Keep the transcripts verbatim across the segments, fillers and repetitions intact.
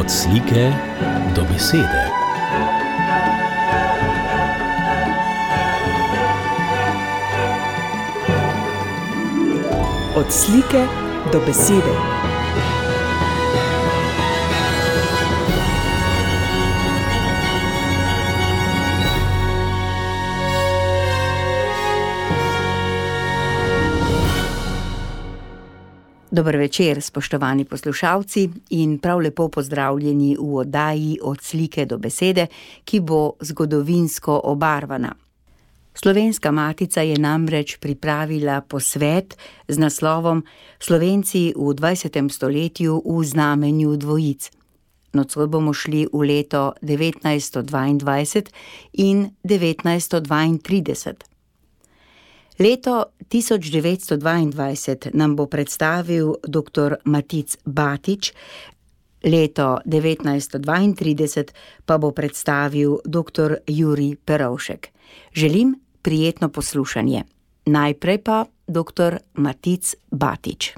Od slike do besede. Od slike do besede. Dober večer, spoštovani poslušalci, in prav lepo pozdravljeni v oddaji Od slike do besede, ki bo zgodovinsko obarvana. Slovenska matica je namreč pripravila posvet z naslovom Slovenci v dvajsetem stoletju v znamenju dvojic. Nocoj bomo šli v leto devetnajststo dvaindvajset in devetnajststo dvaintrideset. Leto tisoč devetsto dvaindvajset nam bo predstavil doktor Matic Batič, leto devetnajststo dvaintrideset pa bo predstavil doktor Jurij Perovšek. Želim prijetno poslušanje. Najprej pa doktor Matic Batič.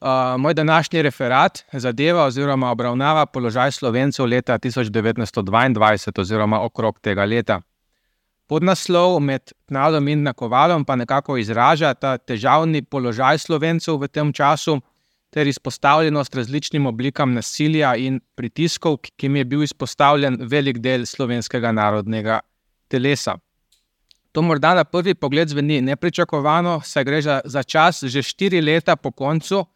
Uh, moj današnji referat zadeva oziroma obravnava položaj Slovencev leta tisoč devetnajststo dvaindvajset oziroma okrog tega leta. Podnaslov Med Tnadom in Nakovalom pa nekako izraža ta težavni položaj Slovencev v tem času ter izpostavljenost različnim oblikam nasilja in pritiskov, ki jim je bil izpostavljen velik del slovenskega narodnega telesa. To morda na prvi pogled zveni nepričakovano, saj gre za čas že štiri leta po koncu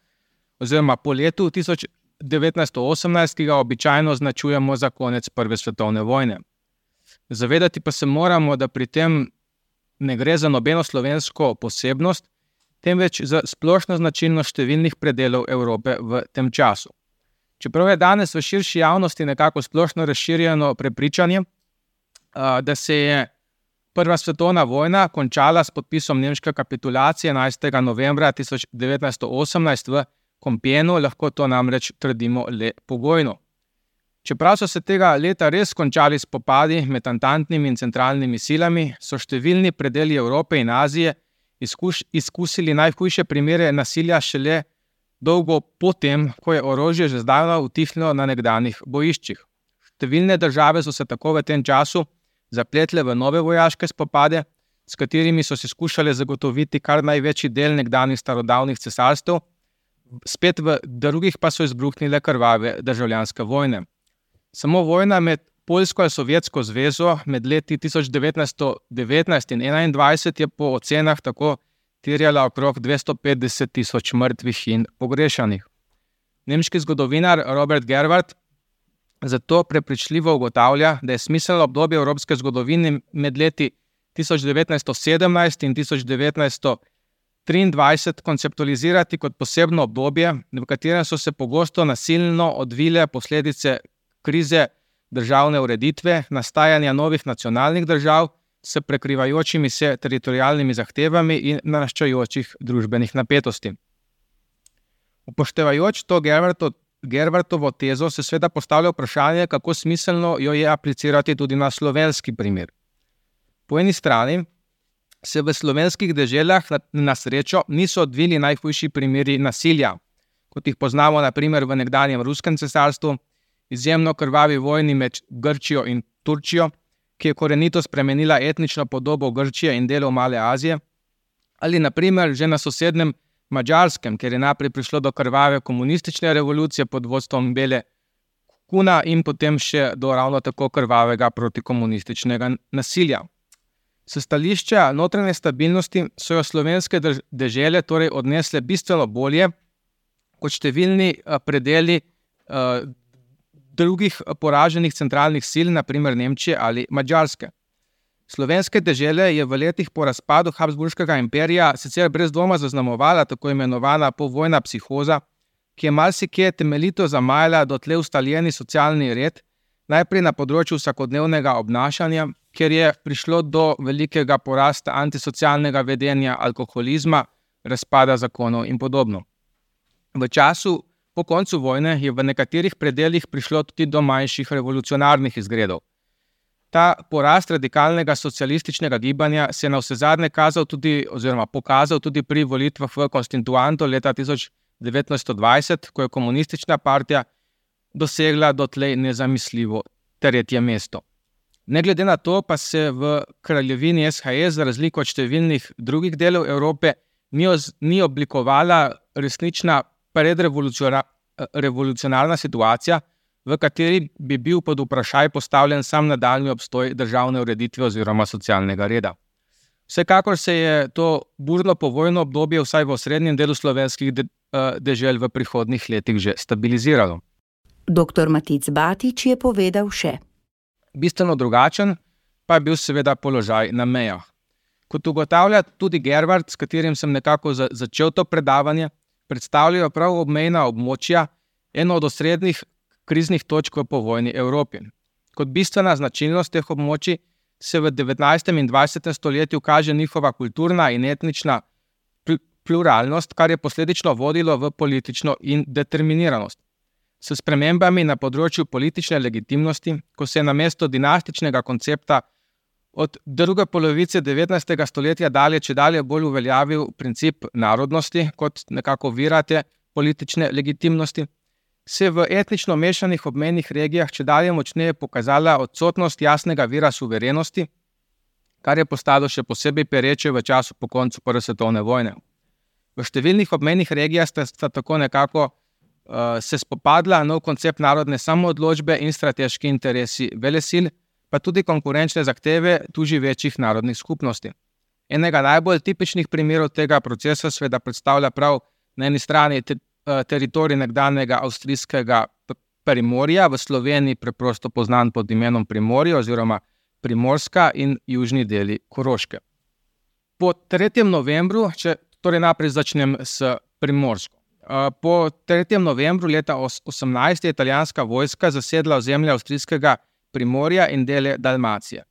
oziroma po letu tisoč devetnajststo osemnajst, ki ga običajno označujemo za konec Prve svetovne vojne. Zavedati pa se moramo, da pri tem ne gre za nobeno slovensko posebnost, temveč za splošno značilnost številnih predelov Evrope v tem času. Čeprav je danes v širši javnosti nekako splošno razširjeno prepričanje, da se je Prva svetovna vojna končala s podpisom nemške kapitulacije enajstega novembra tisoč devetnajststo osemnajst v Compiègnu, lahko to namreč trdimo le pogojno. Čeprav so se tega leta res končali spopadi med antantnimi in centralnimi silami, so številni predeli Evrope in Azije izkuš, izkusili najhujše primere nasilja šele dolgo potem, ko je orožje že zdavno utihnilo na nekdanjih bojiščih. Številne države so se tako v tem času zapletle v nove vojaške spopade, s katerimi so se skušale zagotoviti kar največji del nekdanjih starodavnih cesarstev, spet v drugih pa so izbruhnile krvave državljanske vojne. Samo vojna med Poljsko in Sovjetsko zvezo med leti tisoč devetnajststo devetnajst in enaindvajset je po ocenah tako terjala okrog dvesto petdeset tisoč mrtvih in pogrešanih. Nemški zgodovinar Robert Gerwart zato prepričljivo ugotavlja, da je smiselno obdobje evropske zgodovine med leti tisoč devetnajststo sedemnajst in tisoč devetnajststo triindvajset konceptualizirati kot posebno obdobje, v katerem so se pogosto nasilno odvile posledice krize državne ureditve, nastajanja novih nacionalnih držav s prekrivajočimi se teritorialnimi zahtevami in naraščajočih družbenih napetosti. Upoštevajoč to Gerwarto, Gerwartovo tezo se seveda postavlja vprašanje, kako smiselno jo je aplicirati tudi na slovenski primer. Po eni strani se v slovenskih deželah na, na srečo niso odvili najhujši primeri nasilja, kot jih poznamo na primer v nekdanjem ruskem cesarstvu, izjemno krvavi vojni med Grčijo in Turčijo, ki je korenito spremenila etnično podobo Grčije in delov Male Azije, ali na primer že na sosednjem Madžarskem, kjer je najprej prišlo do krvave komunistične revolucije pod vodstvom Bele Kuna in potem še do ravno tako krvavega protikomunističnega nasilja. S stališča notranje stabilnosti so jo slovenske dežele torej odnesle bistveno bolje kot številni predeli uh, drugih poraženih centralnih sil, na primer Nemčije ali Madžarske. Slovenske dežele je v letih po razpadu Habsburškega imperija sicer brez dvoma zaznamovala tako imenovana povojna psihoza, ki je marsikje temeljito zamajala dotlej ustaljeni socialni red, najprej na področju vsakodnevnega obnašanja, kjer je prišlo do velikega porasta antisocialnega vedenja, alkoholizma, razpada zakonov in podobno. V času po koncu vojne je v nekaterih predelih prišlo tudi do manjših revolucionarnih izgredov. Ta porast radikalnega socialističnega gibanja se je navsezadnje kazal tudi oziroma pokazal tudi pri volitvah v konstituanto leta tisoč devetnajststo dvajset, ko je komunistična partija dosegla dotlej nezamisljivo tretje mesto. Ne glede na to pa se v kraljevini S H S, za razliko od številnih drugih delov Evrope, ni, oz, ni oblikovala resnična predrevolucionarna situacija, v kateri bi bil pod vprašaj postavljen sam nadaljnji obstoj državne ureditve oziroma socialnega reda. Vsekakor se je to burno povojno obdobje vsaj v osrednjem delu slovenskih de, dežel v prihodnjih letih že stabiliziralo. Doktor Matic Batič je povedal še. Bistveno drugačen pa je bil seveda položaj na mejah. Kot ugotavlja tudi Gervard, s katerim sem nekako za, začel to predavanje, predstavljajo prav obmejna območja eno od osrednjih kriznih točk v povojni Evropi. Kot bistvena značilnost teh območij se v devetnajstem in dvajsetem stoletju kaže njihova kulturna in etnična pluralnost, kar je posledično vodilo v politično indeterminiranost. S spremembami na področju politične legitimnosti, ko se je namesto dinastičnega koncepta od druge polovice devetnajstega stoletja dalje čedalje bolj uveljavil princip narodnosti kot nekako vira te politične legitimnosti, se v etnično mešanih obmejnih regijah čedalje močneje pokazala odsotnost jasnega vira suverenosti, kar je postalo še posebej pereče v času po koncu prve svetovne vojne. V številnih obmejnih regijah sta, sta tako nekako uh, se spopadla nov koncept narodne samoodločbe in strateški interesi velesil, pa tudi konkurenčne zahteve tu živečih narodnih skupnosti. Enega najbolj tipičnih primerov tega procesa seveda predstavlja prav na eni strani te, uh, teritorij nekdanjega avstrijskega Primorja, v Sloveniji preprosto poznan pod imenom Primorje oziroma Primorska in južni deli Koroške. Po tretjem novembru, če torej naprej začnem s Primorsko. Po tretjem novembru leta osemnajst je italijanska vojska zasedla ozemlje avstrijskega Primorja in dele Dalmacije.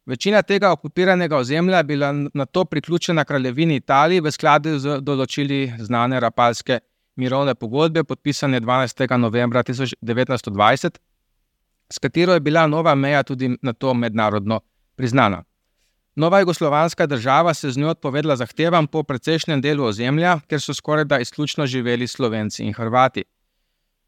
Večina tega okupiranega ozemlja je bila nato priključena kraljevini Italiji v skladu z določili znane Rapalske mirovne pogodbe, podpisane dvanajstega novembra tisoč devetnajststo dvajset, s katero je bila nova meja tudi nato mednarodno priznana. Nova jugoslovanska država se z njo odpovedla zahtevam po precejšnjem delu ozemlja, ker so skorajda izključno živeli Slovenci in Hrvati.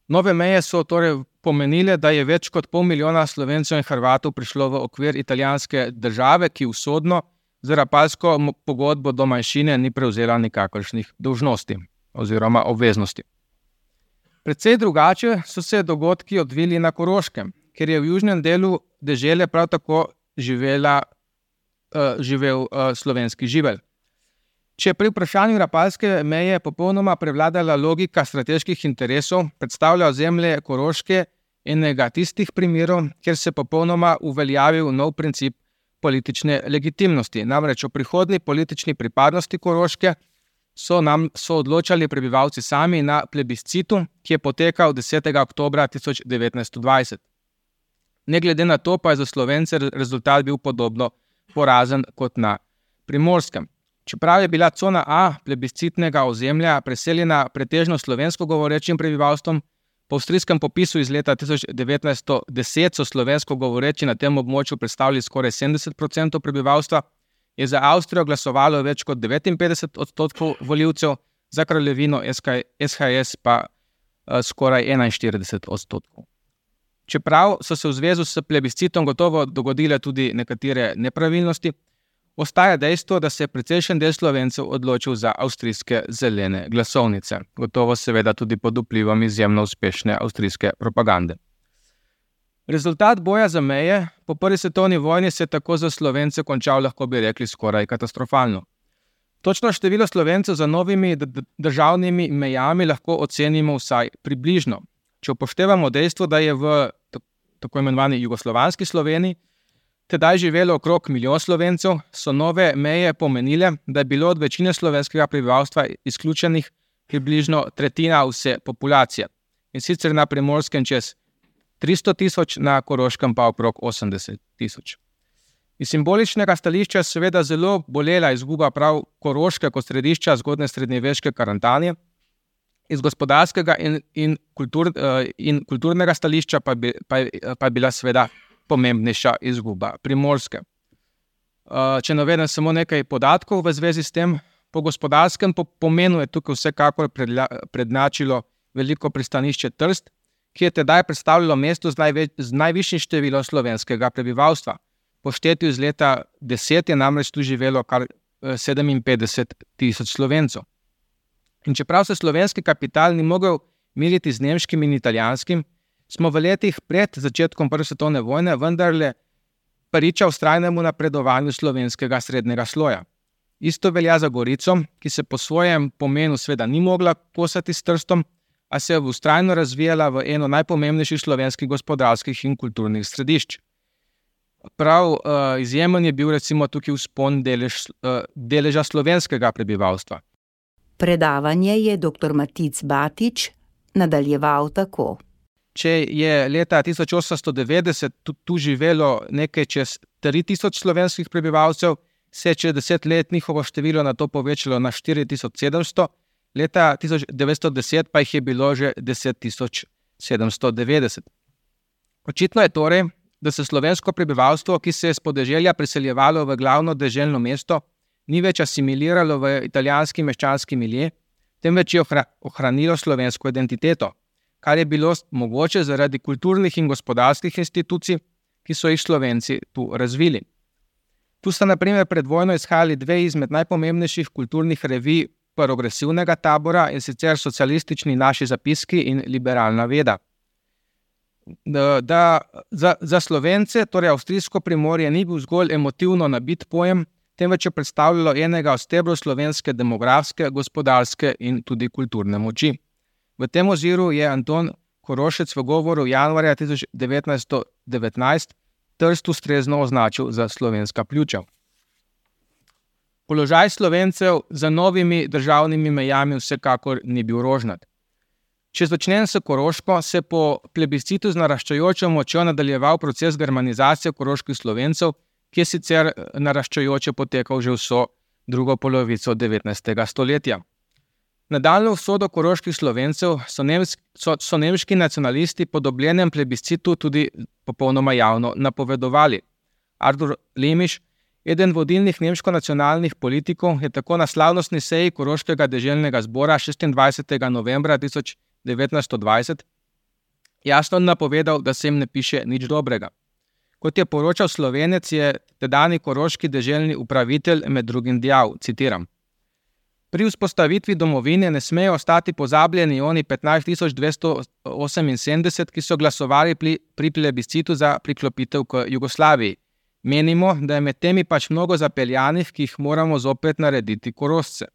Nove meje so torej pomenile, da je več kot pol milijona Slovencev in Hrvatov prišlo v okvir italijanske države, ki usodno z Rapalsko pogodbo do manjšine ni prevzela nikakršnih dolžnosti oziroma obveznosti. Predvsej drugače so se dogodki odvili na Koroškem, ker je v južnem delu dežele prav tako živela živel uh, slovenski živelj. Če pri vprašanju Rapalske meje popolnoma prevladala logika strateških interesov, predstavlja ozemlje Koroške enega tistih primerov, kjer se popolnoma uveljavil nov princip politične legitimnosti. Namreč o prihodnji politični pripadnosti Koroške so nam so odločali prebivalci sami na plebiscitu, ki je potekal desetega oktobra tisoč devetnajststo dvajset. Ne glede na to pa je za Slovence rezultat bil podobno porazen kot na Primorskem. Čeprav je bila cona A plebiscitnega ozemlja preseljena pretežno slovensko govorečim prebivalstvom, po avstrijskem popisu iz leta tisoč devetnajststo deset so slovensko govoreči na tem območju predstavljali skoraj sedemdeset procentov prebivalstva, je za Avstrijo glasovalo več kot devetinpetdeset odstotkov volivcev, za kraljevino S H S pa uh, skoraj enainštirideset odstotkov. Čeprav so se v zvezi s plebiscitom gotovo dogodile tudi nekatere nepravilnosti, ostaja dejstvo, da se je precejšen del Slovencev odločil za avstrijske zelene glasovnice, gotovo seveda tudi pod vplivom izjemno uspešne avstrijske propagande. Rezultat boja za meje po prvi svetovni vojni se je tako za Slovence končal, lahko bi rekli, skoraj katastrofalno. Točno število Slovencev za novimi državnimi mejami lahko ocenimo vsaj približno. Če upoštevamo dejstvo, da je v tako imenovani jugoslovanski Sloveniji tedaj živelo okrog milijon Slovencev, so nove meje pomenile, da je bilo od večine slovenskega prebivalstva izključenih približno tretjina vse populacije. In sicer na Primorskem čez tristo tisoč, na Koroškem pa okrog osemdeset tisoč. Iz simboličnega stališča je seveda zelo bolela izguba prav Koroške kot središča zgodne srednjeveške Karantanije, iz gospodarskega in, in, kultur, in kulturnega stališča pa, bi, pa, pa je bila seveda pomembnejša izguba Primorske. Če navedem samo nekaj podatkov v zvezi s tem, po gospodarskem pomenu je tukaj vsekakor prednačilo veliko pristanišče Trst, ki je tedaj predstavljalo mesto z, največ, z najvišjim številom slovenskega prebivalstva. Po štetju iz leta deset je namreč tu živelo kar sedeminpetdeset tisoč Slovencev. In čeprav se slovenski kapital ni mogel miriti z nemškim in italijanskim, smo v letih pred začetkom prve svetovne vojne vendarle priča vztrajnemu napredovanju slovenskega srednjega sloja. Isto velja za Gorico, ki se po svojem pomenu sveda ni mogla kosati s Trstom, a se je vztrajno razvijala v eno najpomembnejših slovenskih gospodarskih in kulturnih središč. Prav uh, izjemen je bil recimo tukaj vzpon delež, uh, deleža slovenskega prebivalstva. Predavanje je doktor Matic Batič nadaljeval tako. Če je leta tisoč osemsto devetdeset tu, tu živelo nekaj čez tri tisoč slovenskih prebivalcev, se je čez deset let njihovo število na to povečalo na štiri tisoč sedemsto, leta tisoč devetsto deset pa jih je bilo že deset tisoč sedemsto devetdeset. Očitno je torej, da se slovensko prebivalstvo, ki se je s podeželja priseljevalo v glavno deželno mesto, ni več asimiliralo v italijanski meščanski milje, temveč je ohranilo slovensko identiteto, kar je bilo mogoče zaradi kulturnih in gospodarskih institucij, ki so jih Slovenci tu razvili. Tu sta na primer pred vojno izhajali dve izmed najpomembnejših kulturnih revij progresivnega tabora, in sicer Socialistični naši zapiski in Liberalna veda. Da, da za, za Slovence, torej avstrijsko Primorje, ni bil zgolj emotivno nabit pojem, temveč je predstavljalo enega od stebrov slovenske demografske, gospodarske in tudi kulturne moči. V tem oziru je Anton Korošec v govoru januarja tisoč devetnajststo devetnajst Trst ustrezno označil za slovenska pljuča. Položaj Slovencev za novimi državnimi mejami vsekakor ni bil rožnat. Če začnem s Koroško, se po plebiscitu z naraščajočo močjo nadaljeval proces germanizacije koroških Slovencev, ki je sicer naraščajoče potekal že vso drugo polovico devetnajstega stoletja. Nadaljnjo usodo koroških Slovencev so, nemski, so, so nemški nacionalisti po dobljenem plebiscitu tudi popolnoma javno napovedovali. Artur Lemiš, eden vodilnih nemško-nacionalnih politikov, je tako na slavnostni seji Koroškega deželnega zbora šestindvajsetega novembra tisoč devetnajststo dvajset jasno napovedal, da se jim ne piše nič dobrega. Kot je poročal Slovenec, je tedajni koroški deželni upravitelj med drugim dejal, citiram: Pri vzpostavitvi domovine ne smejo ostati pozabljeni oni petnajst tisoč dvesto oseminsedemdeset, ki so glasovali pri, pri plebiscitu za priklopitev k Jugoslaviji. Menimo, da je med temi pač mnogo zapeljanih, ki jih moramo zopet narediti Korošce.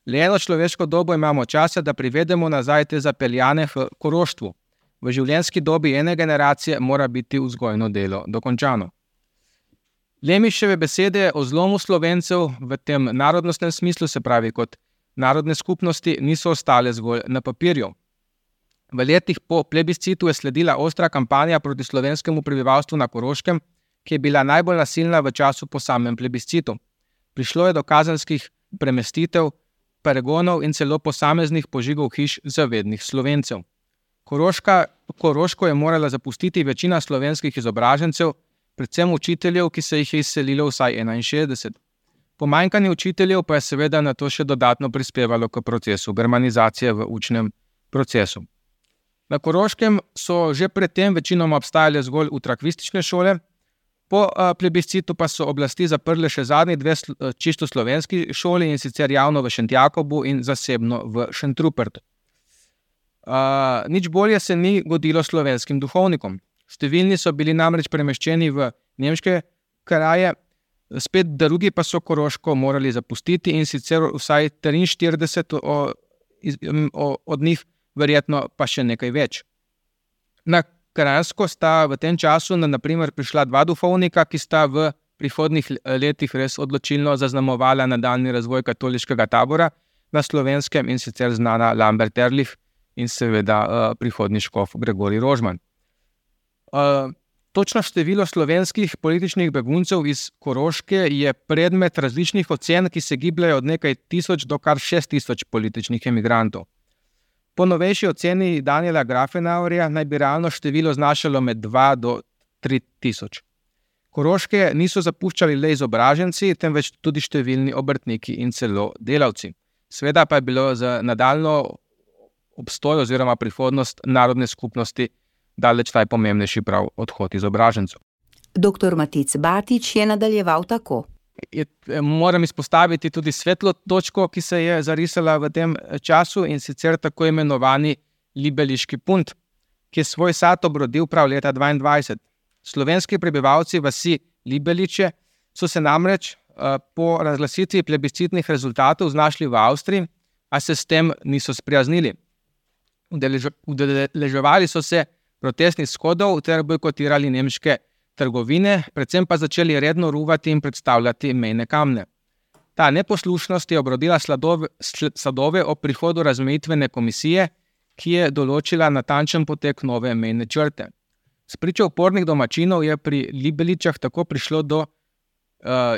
Le eno človeško dobo imamo časa, da privedemo nazaj te zapeljane v koroštvu. V življenjski dobi ene generacije mora biti vzgojno delo dokončano. Lemiševe besede o zlomu Slovencev v tem narodnostnem smislu, se pravi kot narodne skupnosti, niso ostale zgolj na papirju. V letih po plebiscitu je sledila ostra kampanja proti slovenskemu prebivalstvu na Koroškem, ki je bila najbolj nasilna v času po samem plebiscitu. Prišlo je do kazenskih premestitev, pregonov in celo posameznih požigov hiš zavednih Slovencev. Koroška, Koroško je morala zapustiti večina slovenskih izobražencev, predvsem učiteljev, ki se jih je izselilo vsaj enainšestdeset. Pomanjkanje učiteljev pa je seveda na to še dodatno prispevalo k procesu germanizacije v učnem procesu. Na Koroškem so že predtem večinoma obstajale zgolj utrakvistične šole, po plebiscitu pa so oblasti zaprle še zadnji dve čisto slovenski šoli, in sicer javno v Šentjakobu in zasebno v Šentrupertu. Uh, nič bolje se ni godilo slovenskim duhovnikom. Številni so bili namreč premeščeni v nemške kraje, spet drugi pa so Koroško morali zapustiti, in sicer vsaj triinštirideset o, o, od njih, verjetno pa še nekaj več. Na Kranjsko sta v tem času na, na primer prišla dva duhovnika, ki sta v prihodnjih letih res odločilno zaznamovala nadaljnji razvoj katoliškega tabora na Slovenskem, in sicer znana Lambert Erlich in seveda uh, prihodnji škof Gregorij Rožman. Uh, točno število slovenskih političnih beguncev iz Koroške je predmet različnih ocen, ki se gibljajo od nekaj tisoč do kar šest tisoč političnih emigrantov. Po novejši oceni Daniela Grafenauerja naj bi realno število znašalo med dva do tri tisoč. Koroške niso zapuščali le izobraženci, temveč tudi številni obrtniki in celo delavci. Sveda pa je bilo za nadaljno obstoj oziroma prihodnost narodne skupnosti daleč najpomembnejši prav odhod izobražencev. Doktor Matic Batič je nadaljeval tako. Je, moram izpostaviti tudi svetlo točko, ki se je zarisala v tem času, in sicer tako imenovani Libeliški punt, ki je svoj sad obrodil prav leta dvaindvajset. Slovenski prebivalci vasi Libeliče so se namreč uh, po razglasitvi plebiscitnih rezultatov znašli v Avstriji, a se s tem niso sprijaznili. Udeleževali so se protestnih shodov ter bojkotirali nemške trgovine, predvsem pa začeli redno ruvati in predstavljati mejne kamne. Ta neposlušnost je obrodila sladove, sadove ob prihodu razmejitvene komisije, ki je določila natančen potek nove mejne črte. Spričo upornih domačinov je pri Libeličah tako prišlo do uh,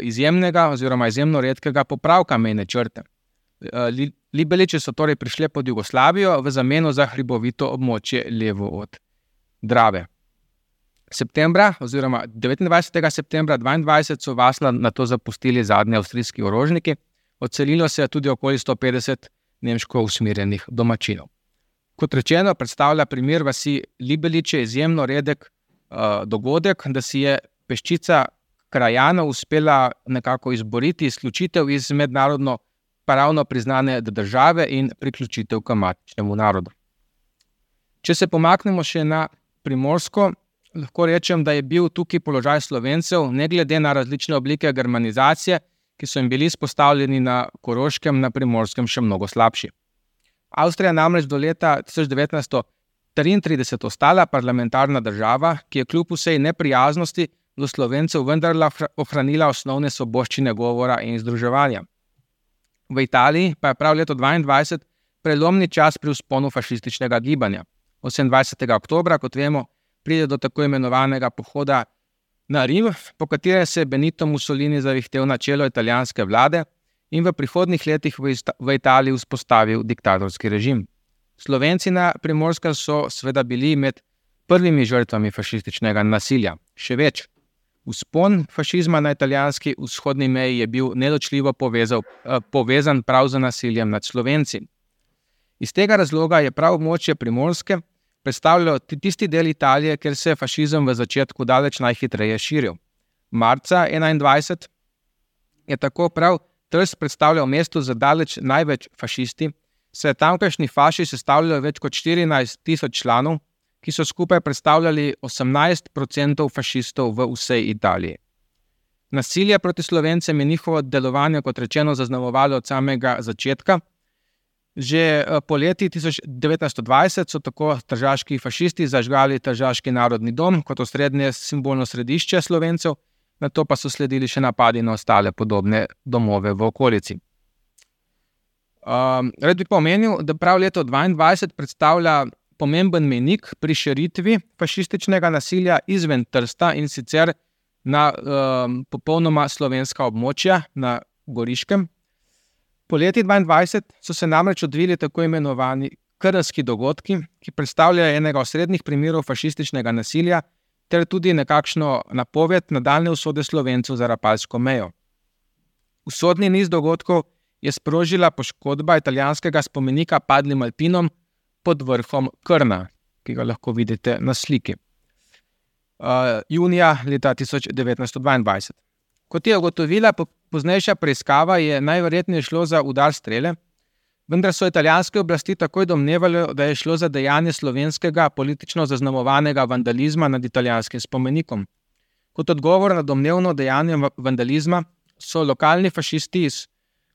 izjemnega oziroma izjemno redkega popravka mejne črte. Uh, Libeliče so torej prišle pod Jugoslavijo v zameno za hribovito območje levo od Drave. Septembra oziroma devetindvajsetega septembra dvaindvajset so vas nato zapustili zadnji avstrijski orožniki, odselilo se je tudi okoli sto petdeset nemško usmerjenih domačinov. Kot rečeno, predstavlja primer vasi Libeliče izjemno redek uh, dogodek, da si je peščica krajanov uspela nekako izboriti izključitev iz mednarodno pravno priznane države in priključitev k matičnemu narodu. Če se pomaknemo še na Primorsko, lahko rečem, da je bil tukaj položaj Slovencev, ne glede na različne oblike germanizacije, ki so jim bili izpostavljeni na Koroškem, na Primorskem še mnogo slabši. Avstrija namreč do leta tisoč devetnajststo triintrideset ostala parlamentarna država, ki je kljub vsej neprijaznosti do Slovencev vendarle ohranila osnovne svoboščine govora in združevanja. V Italiji pa je prav leto dvaindvajset prelomni čas pri vzponu fašističnega gibanja. osemindvajsetega oktobra, kot vemo, pride do tako imenovanega pohoda na Rim, po katerem se je Benito Mussolini zavihtel na čelo italijanske vlade in v prihodnjih letih v Italiji vzpostavil diktatorski režim. Slovenci na Primorskem so seveda bili med prvimi žrtvami fašističnega nasilja. Še več, vzpon fašizma na italijanski vzhodni meji je bil neločljivo povezal, povezan prav z nasiljem nad Slovenci. Iz tega razloga je prav območje Primorske predstavljalo tisti del Italije, kjer se je fašizem v začetku daleč najhitreje širil. Marca enaindvajset je tako prav Trst predstavljal mesto za daleč največ fašisti, se je tamkajšnji faši sestavljalo več kot štirinajst tisoč članov, ki so skupaj predstavljali osemnajst procentov fašistov v vsej Italiji. Nasilje proti Slovencem je njihovo delovanje, kot rečeno, zaznamovalo od samega začetka. Že poleti tisoč devetnajststo dvajset so tako tržaški fašisti zažgali Tržaški narodni dom kot osrednje simbolno središče Slovencev, nato pa so sledili še napadi na ostale podobne domove v okolici. Um, Rad bi pa omenil, da prav leto dvaindvajset predstavlja pomemben mejnik pri širitvi fašističnega nasilja izven Trsta, in sicer na um, popolnoma slovenska območja na Goriškem. Po leti dvaindvajset so se namreč odvili tako imenovani krnski dogodki, ki predstavljajo enega osrednjih primerov fašističnega nasilja ter tudi nekakšno napoved nadaljne usode Slovencev za Rapalsko mejo. Usodni niz dogodkov je sprožila poškodba italijanskega spomenika padlim Alpinom pod vrhom Krna, ki ga lahko vidite na sliki. Uh, junija leta tisoč devetnajststo dvaindvajset. Kot je ugotovila poznejša preiskava, je najverjetneje šlo za udar strele, vendar so italijanske oblasti takoj domnevali, da je šlo za dejanje slovenskega politično zaznamovanega vandalizma nad italijanskim spomenikom. Kot odgovor na domnevno dejanje vandalizma so lokalni fašisti iz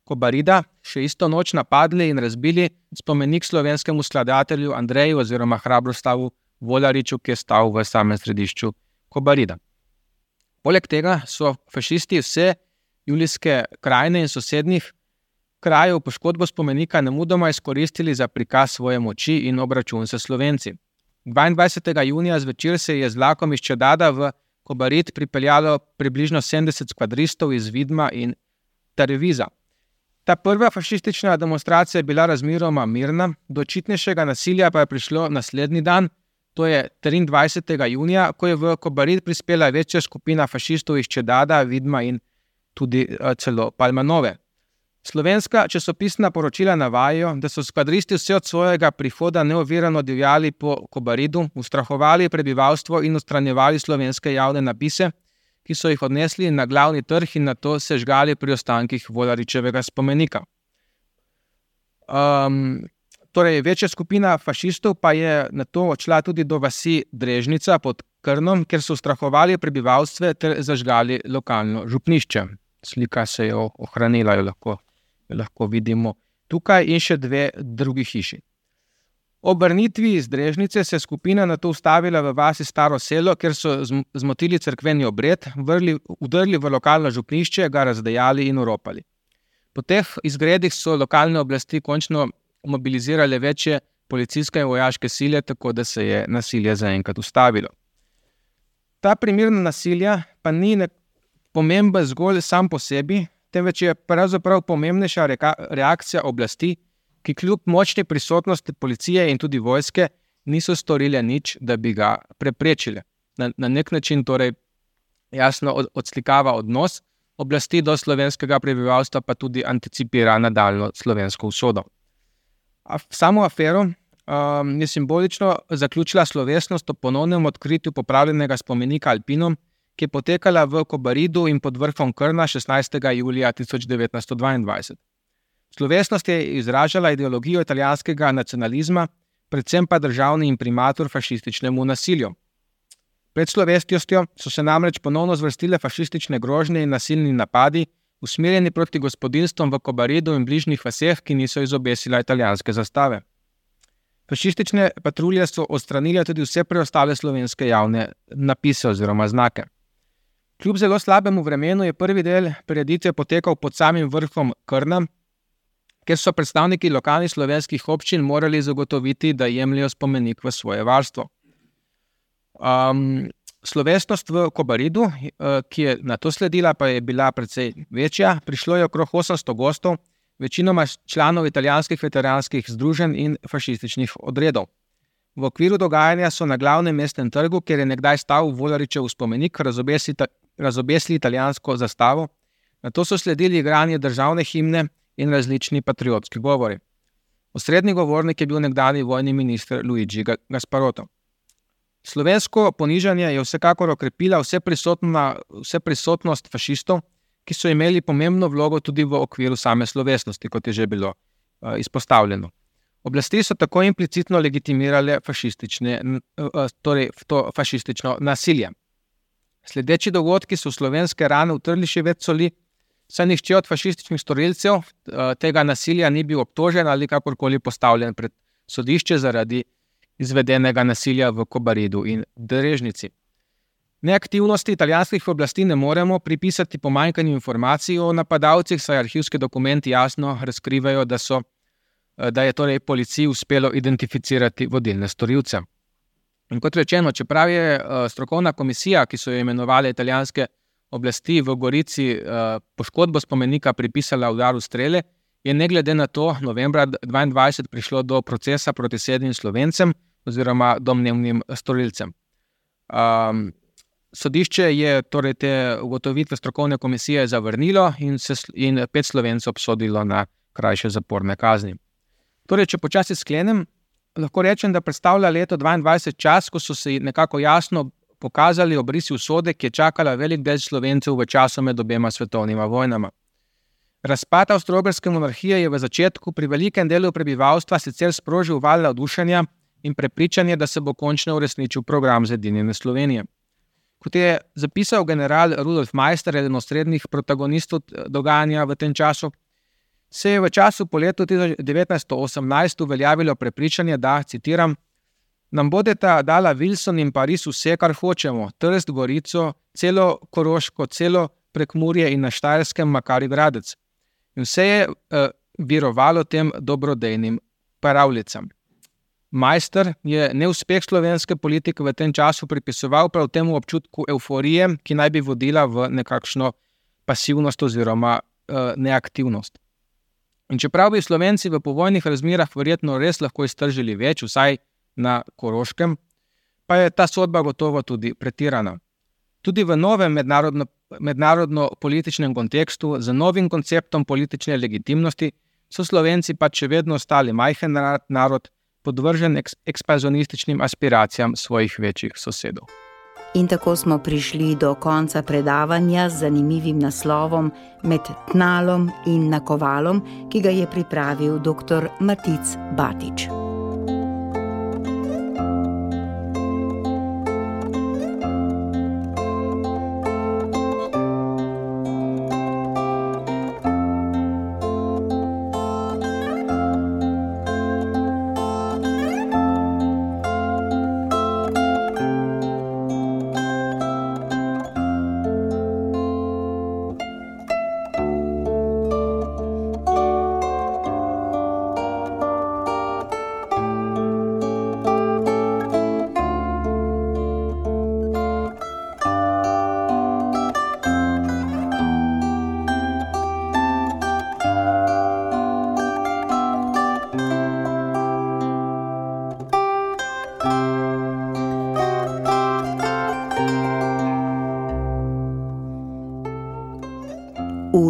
Kobarida še isto noč napadli in razbili spomenik slovenskemu skladatelju Andreju oziroma Hrabrostavu Volariču, ki je stal v samem središču Kobarida. Poleg tega so fašisti vse Julijske krajine in sosednjih krajev poškodbo spomenika nemudoma izkoristili za prikaz svoje moči in obračun s Slovenci. dvaindvajsetega junija zvečer se je z vlakom iz Čedada v Kobarid pripeljalo približno sedemdeset skvadristov iz Vidma in Treviza. Ta prva fašistična demonstracija je bila razmeroma mirna, do očitnejšega nasilja pa je prišlo naslednji dan, to je triindvajsetega junija, ko je v Kobarid prispela večja skupina fašistov iz Čedada, Vidma in tudi celo Palmanove. Slovenska časopisna poročila navajajo, da so skvadristi vse od svojega prihoda neovirano divjali po Kobaridu, ustrahovali prebivalstvo in odstranjevali slovenske javne napise, ki so jih odnesli na glavni trg in nato sežgali pri ostankih Volaričevega spomenika. Um, torej, večja skupina fašistov pa je nato odšla tudi do vasi Drežnica pod Krnom, kjer so ustrahovali prebivalstvo ter zažgali lokalno župnišče. Slika se je ohranila, jo lahko lahko vidimo tukaj, in še dve drugi hiši. Ob vrnitvi iz Drežnice se je skupina nato ustavila v vasi Staro selo, kjer so zmotili cerkveni obred, vrli, udrli v lokalno župnišče, ga razdejali in oropali. Po teh izgredih so lokalne oblasti končno mobilizirale večje policijske in vojaške sile, tako da se je nasilje zaenkrat ustavilo. Ta primer nasilja pa ni pomemben zgolj sam po sebi, temveč je pravzaprav pomembnejša reakcija oblasti, ki kljub močni prisotnosti policije in tudi vojske niso storile nič, da bi ga preprečile. Na, na nek način torej jasno od, odslikava odnos oblasti do slovenskega prebivalstva, pa tudi anticipira nadaljnjo slovensko usodo. A samo afero um, je simbolično zaključila slovesnost o ponovnem odkritju popravljenega spomenika Alpinom, ki je potekala v Kobaridu in pod vrhom Krna šestnajstega julija tisoč devetnajsto dvaindvajset. Slovesnost je izražala ideologijo italijanskega nacionalizma, predvsem pa državni imprimatur fašističnemu nasilju. Pred slovesnostjo so se namreč ponovno zvrstile fašistične grožnje in nasilni napadi, usmerjeni proti gospodinjstvom v Kobaridu in bližnjih vaseh, ki niso izobesila italijanske zastave. Fašistične patrulje so odstranile tudi vse preostale slovenske javne napise oziroma znake. Kljub zelo slabemu vremenu je prvi del prireditve potekal pod samim vrhom Krna, kjer so predstavniki lokalnih slovenskih občin morali zagotoviti, da jemljejo spomenik v svoje varstvo. Um, slovesnost v Kobaridu, ki je na to sledila, pa je bila precej večja. Prišlo je okrog osemsto gostov, večinoma članov italijanskih veteranskih združenj in fašističnih odredov. V okviru dogajanja so na glavnem mestnem trgu, kjer je nekdaj stal Volaričev spomenik, razobesili, razobesili italijansko zastavo. Nato so sledili igranje državne himne in različni patriotski govori. Osrednji govornik je bil nekdani vojni minister Luigi Gasparotto. Slovensko ponižanje je vsekakor okrepila vse, vse prisotnost fašistov, ki so imeli pomembno vlogo tudi v okviru same slovesnosti, kot je že bilo uh, izpostavljeno. Oblasti so tako implicitno legitimirale fašistične, uh, torej to fašistično nasilje. Sledeči dogodki so v slovenske rane utrli še več soli, saj nihče od fašističnih storilcev uh, tega nasilja ni bil obtožen ali kakorkoli postavljen pred sodišče zaradi izvedenega nasilja v Kobaridu in Drežnici. Neaktivnosti italijanskih oblasti ne moremo pripisati pomanjkanju informacij o napadalcih, saj arhivski dokumenti jasno razkrivajo, da, so, da je torej policiji uspelo identificirati vodilne storilce. In kot rečeno, čeprav je strokovna komisija, ki so jo imenovali italijanske oblasti v Gorici, poškodbo spomenika pripisala udaru strele, je ne glede na to novembra dvaindvajset prišlo do procesa proti sedmim Slovencem oziroma domnevnim storilcem. Um, Sodišče je torej te ugotovitve strokovne komisije zavrnilo in, se, in pet Slovencev obsodilo na krajše zaporne kazni. Torej, če počasi sklenem, lahko rečem, da predstavlja leto dvaindvajset čas, ko so se nekako jasno pokazali obrisi usode, ki je čakala velik del Slovencev v času med obema svetovnima vojnama. Razpad avstro-ogrske monarhije je v začetku pri velikem delu prebivalstva sicer sprožil val navdušenja in prepričanje, da se bo končno uresničil program zedinjene Slovenije. Kot je zapisal general Rudolf Meister, eden od osrednjih protagonistov dogajanja v tem času, se je v času po letu devetnajststo osemnajst uveljavilo prepričanje, da, citiram, nam bodeta dala Wilson in Pariz vse, kar hočemo, Trst, Gorico, celo Koroško, celo Prekmurje in na Štajerskem Makari Gradec. In vse je uh, virovalo tem dobrodejnim pravljicam. Meister je neuspeh slovenske politike v tem času pripisoval prav temu občutku euforije, ki naj bi vodila v nekakšno pasivnost oziroma uh, neaktivnost. In čeprav bi Slovenci v povojnih razmerah verjetno res lahko iztržili več, vsaj na Koroškem, pa je ta sodba gotovo tudi pretirana. Tudi v novem mednarodno, mednarodno-političnem kontekstu, z novim konceptom politične legitimnosti, so Slovenci pač še vedno ostali majhen narod, podvržen ekspanzionističnim aspiracijam svojih večjih sosedov. In tako smo prišli do konca predavanja z zanimivim naslovom Med tnalom in nakovalom, ki ga je pripravil doktor Matic Batič.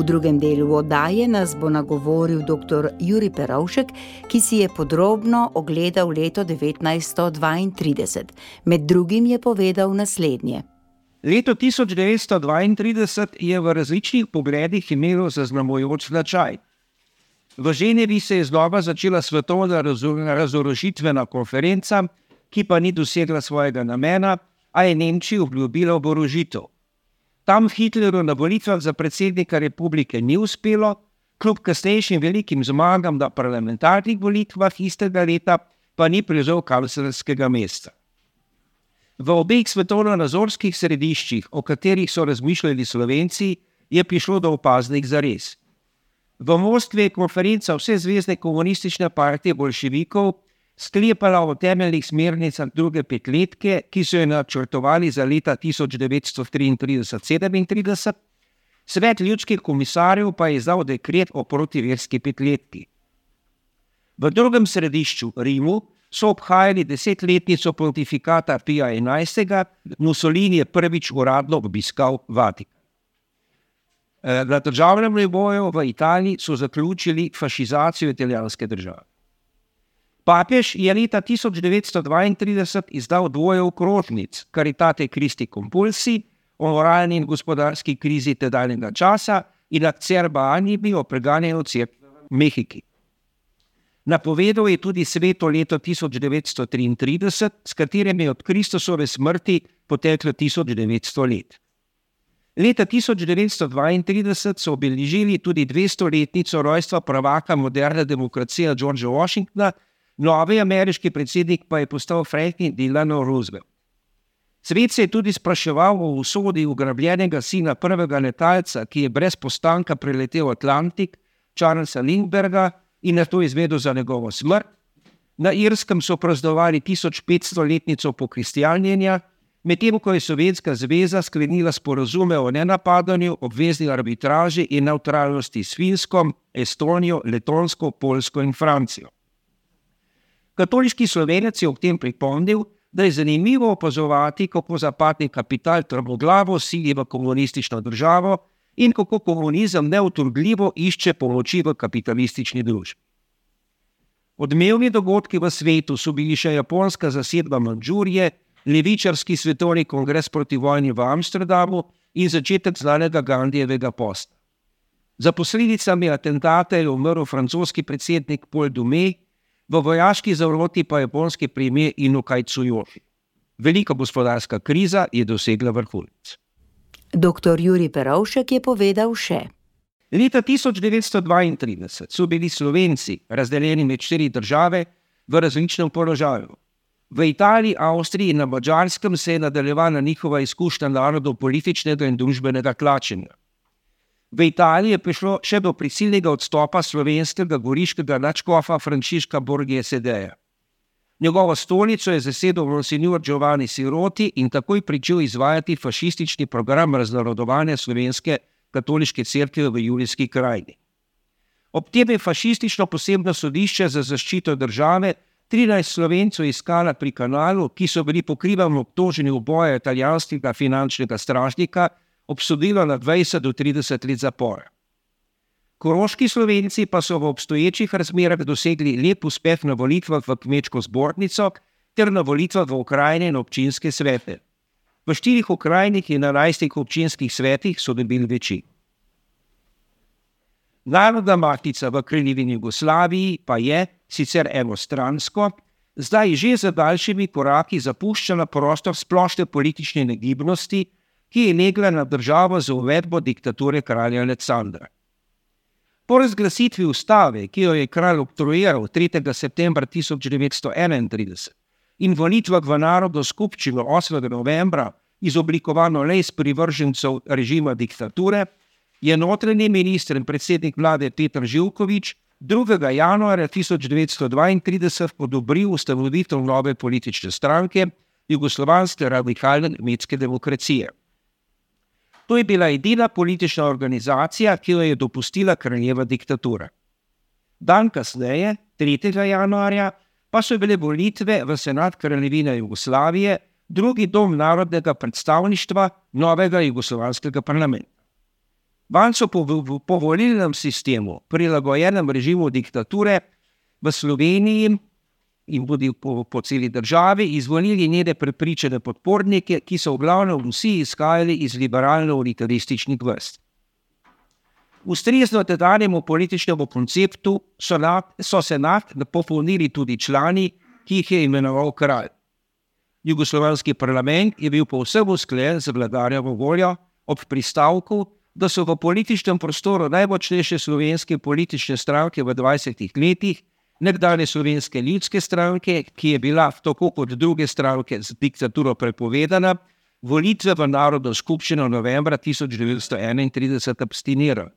V drugem delu oddaje nas bo nagovoril doktor Jurij Perovšek, ki si je podrobno ogledal leto devetnajststo dvaintrideset. Med drugim je povedal naslednje. Leto tisoč devetsto dvaintrideset je v različnih pogledih imelo zaznamujoč značaj. V Ženevi se je znova začela svetovna razorožitvena konferenca, ki pa ni dosegla svojega namena, a je Nemčiji obljubila oborožitev. Tam Hitlerju na volitvah za predsednika republike ni uspelo, kljub kasnejšim velikim zmagam na parlamentarnih volitvah istega leta pa ni prevzel kanclerskega mesta. V obeh svetovno-nazorskih središčih, o katerih so razmišljali Slovenci, je prišlo do opaznih zares. V Moskvi je konferenca Vsezvezne komunistične partije bolševikov sklepala o temeljnih smernicah druge petletke, ki so jo načrtovali za leta tisoč devetsto triintrideset sedemintrideset, Svet ljudskih komisarjev pa je izdal dekret o protiverski petletki. V drugem središču, Rimu, so obhajali desetletnico pontifikata Pija enajstega, Mussolini je prvič uradno obiskal Vatikan. Na državnem nivoju v Italiji so zaključili fašizacijo italijanske države. Papež je leta tisoč devetsto dvaintrideset izdal dvoje okrožnic Caritate Christi Compulsi o moralni in gospodarski krizi tedanjega časa in Acerba Animi o preganjanju cerkve v Mehiki. Napovedal je tudi sveto leto tisoč devetsto triintrideset, s katerim je od Kristusove smrti poteklo tisoč devetsto let. Leta tisoč devetsto dvaintrideset so obeležili tudi dvestoletnico rojstva prvaka moderne demokracije Georgea Washingtona, novi ameriški predsednik pa je postal Franklin Delano Roosevelt. Svet se je tudi spraševal o usodi ugrabljenega sina prvega letalca, ki je brez postanka preletel Atlantik, Charlesa Lindbergha, in nato izvedel za njegovo smrt. Na Irskem so praznovali tisoč petstoletnico pokristjanjenja, medtem ko je Sovjetska zveza sklenila sporazume o nenapadanju, obvezni arbitraži in nevtralnosti s Finsko, Estonijo, Letonsko, Poljsko in Francijo. Katoliški Slovenec je ob tem pripomnil, da je zanimivo opazovati, kako zapadni kapital trmoglavo sili v komunistično državo in kako komunizem neutrudljivo išče pomoči v kapitalistični družbi. Odmevni dogodki v svetu so bili še japonska zasedba Mandžurije, levičarski svetovni kongres proti vojni v Amsterdamu in začetek znanega Gandijevega posta. Za posledicami atentata je umrl francoski predsednik Paul Doumet, v vojaški zaroti pa japonski premier Inokai Tsuyoshi. Velika gospodarska kriza je dosegla vrhunec. Doktor Jurij Perovšek je povedal še. Leta tisoč devetsto dvaintrideset so bili Slovenci razdeljeni med štiri države v različnem položaju. V Italiji, Avstriji in na Madžarskem se je nadaljevala njihova izkušnja narodov političnega in družbenega tlačenja. V Italiji je prišlo še do prisilnega odstopa slovenskega goriškega nadškofa Frančiška Borghesedeja. Njegovo stolico je zasedel monsignor Giovanni Siroti in takoj pričel izvajati fašistični program raznarodovanja slovenske katoliške cerkve v Julijski krajini. Ob tem je fašistično posebno sodišče za zaščito države trinajst Slovencev iskala pri kanalu, ki so bili pokrivano obtoženi uboja italijanskega finančnega stražnika, obsodilo na dvajset do trideset let zapora. Koroški Slovenci pa so v obstoječih razmerah dosegli lep uspeh na volitvah v kmečko zbornico ter na volitvah v okrajne in občinske svete. V štirih okrajnih in enajstih občinskih svetih so dobili večino. Narodna matica v Kraljevini Jugoslaviji pa je, sicer enostransko, zdaj že za daljšimi koraki zapuščala prostor splošne politične negibnosti, ki je legla na državo za uvedbo diktature kralja Aleksandra. Po razglasitvi ustave, ki jo je kralj oktroiral tretjega septembra tisoč devetsto enaintrideset in volitvah v Narodno skupščino osmega novembra, izoblikovano le iz privržencev režima diktature, je notranji minister in predsednik vlade Petar Živković drugega januarja tisoč devetsto dvaintrideset odobril ustanovitev nove politične stranke Jugoslovanske radikalne kmetske demokracije. To je bila edina politična organizacija, ki jo je dopustila kraljeva diktatura. Dan kasneje, tretjega januarja, pa so bile volitve v Senat Kraljevine Jugoslavije, drugi dom narodnega predstavništva novega jugoslovanskega parlamenta. Vanj so po, po volilnem sistemu, prilagojenem režimu diktature, v Sloveniji in tudi po, po celi državi izvolili njene prepričane podpornike, ki so v glavnem vsi izhajali iz liberalno-unitarističnih vrst. Ustrezno tedanjemu političnemu konceptu so, na, so senat popolnili tudi člani, ki jih je imenoval kralj. Jugoslovanski parlament je bil povsem usklajen z vladarjevo voljo ob pristavku, da so v političnem prostoru najmočnejše slovenske politične stranke v dvajsetih letih, nekdanje Slovenske ljudske stranke, ki je bila tako kot druge stranke z diktaturo prepovedana, volitve v Narodno skupščino novembra tisoč devetsto enaintrideset abstinirali.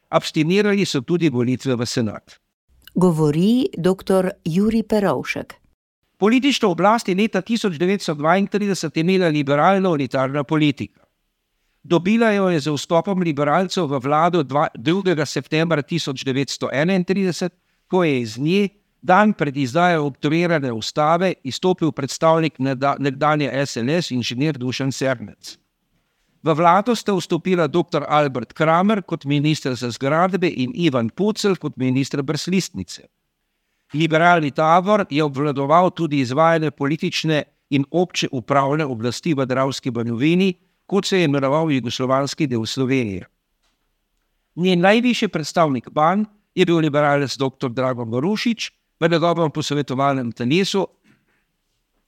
Abstinirali so tudi volitve v senat. Govori doktor Jurij Perovšek. Politično oblast je leta tisoč devetsto dvaintrideset imela liberalno-unitarna politika. Dobila jo je z vstopom liberalcev v vlado drugega septembra tisoč devetsto enaintrideset, ko je iz nje dan pred izdajo oktroirane ustave izstopil predstavnik nekdanje S L S inženir Dušan Sernec. V vlado sta vstopila doktor Albert Kramer kot minister za zgradbe in Ivan Pucelj kot minister brez listnice. Liberalni tabor je obvladoval tudi izvajanje politične in obče upravne oblasti v Dravski banovini, kot se je imenoval jugoslovanski del Slovenije. Njen najvišji predstavnik Ban je bil liberalec doktor Dragan Marušič, v njegovem posvetovalnem telesu,